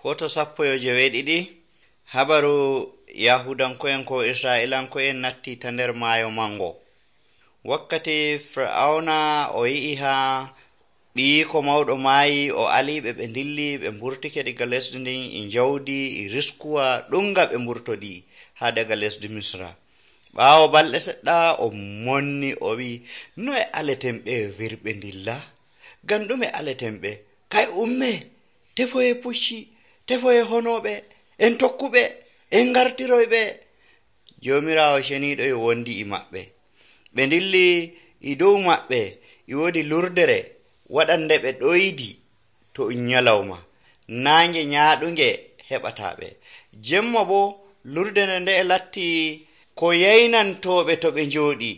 Foto 12 habaru Yahudanko'en ko Isra'ilanko'en natti ta nder maayo mango. Wakkati Fir'auna o yi'i ha ɓiyiko mawɗo maayi o aliɓe ɓe dilli ɓe mburtike diga lesdi ndin e jawdi e riskuwa ɗunga ɓe mburtodi ha daga lesdi Misra. Ɓaawo balɗe seɗɗa o monni o wi noe aleten ɓe wirɓe dilla ngam ɗume aleten ɓe kay umme tefoye pucci tefoye honoɓe en tokkuɓe en gartiroyɓe. Jomirawo ceniɗo e wondi e maɓɓe ɓe dilli e dow maɓɓe e wodi lurdere waɗande ɓe ɗoydi to nyalawma nange nyaɗunge heɓataɓe jemma bo lurdere nde latti ko yaynantoɓe to ɓe jooɗi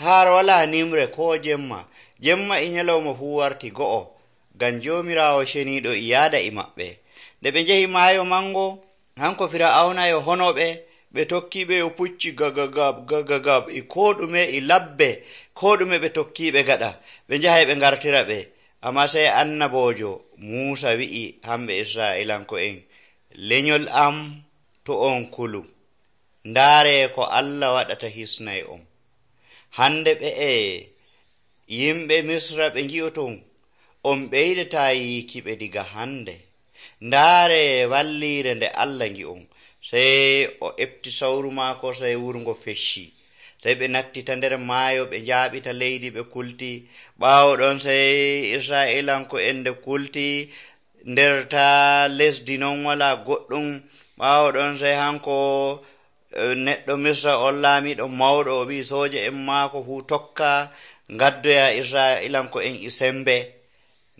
har wala nimre ko jemma e nyalawma fu warti go'o ngam Jomirawo ceniɗo e yaada e maɓɓe. Nde ɓe njehi maayo mango hanko Fir'auna e honoɓe ɓe tokkiɓe yo pucci gagagab e ko ɗume e labbe ko ɗume ɓe tokkiɓe gaɗa ɓe njahay ɓe gartira ɓe. Amma sey annabojo Musa wi'i hamɓe Isra'ilanko'en, lenyol am to on kulu ndaare ko Allah waɗata hisnay on. Hande ɓe yimɓe Misra ɓe ngi'oton on ɓeydata yiikiɓe diga hande. Ndaare wallire nde Allah ngi'on. Sey o efti sawru maako sey wurgo fecci. Sey ɓe natti ta nder maayo ɓe njaaɓita leydi ɓe kulti. Ɓaawo ɗon sey Isra'ilanko'en nde kulti nder ta lesdi non wala goɗɗum. Ɓaawo ɗon sey hanko neɗɗo Misra on laamiɗo mawɗo o wi sooje en maako fu tokka ngaddoya Isra'ilanko'en e sembe.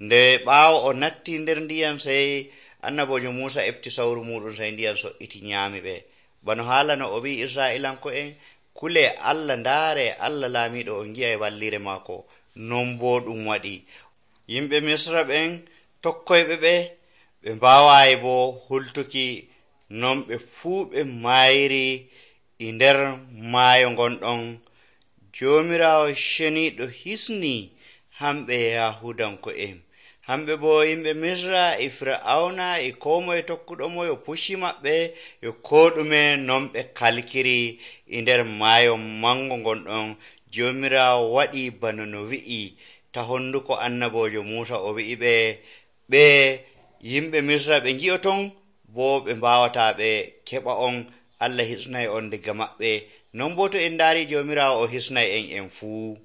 Nde ɓaawo o natti nder ndiyam sey annabojo Musa efti sawru muɗum sey ndiyam so'iti nyaami ɓe. Bano haalano o wi Isra'ilanko'en kule Allah ndaare Allah laamiɗo on ngi'ay wallire maako non bo ɗum waɗi. Yimɓe Misra ɓen tokkoyɓe ɓe mbaawayi bo hultuki non ɓe fuu ɓe maayiri e nder maayo gonɗon. Jomirawo ceniɗo hisni hamɓe Yahudanko'en. Hamɓe bo yimɓe Misra e Fir'auna e ko moye tokkuɗo mo yo pucci maɓɓe yo ko ɗume non ɓe kalkiri e nder maayo mango gonɗon. Jomirawo waɗi bano no wi'i ta honduko annabojo Musa o wi'i ɓe yimɓe Misra ɓe ngi'oton bo ɓe mbawata ɓe keɓa on. Allah hisnay on diga maɓɓe non bo to en ndaari Jomirawo o hisnay en fuu.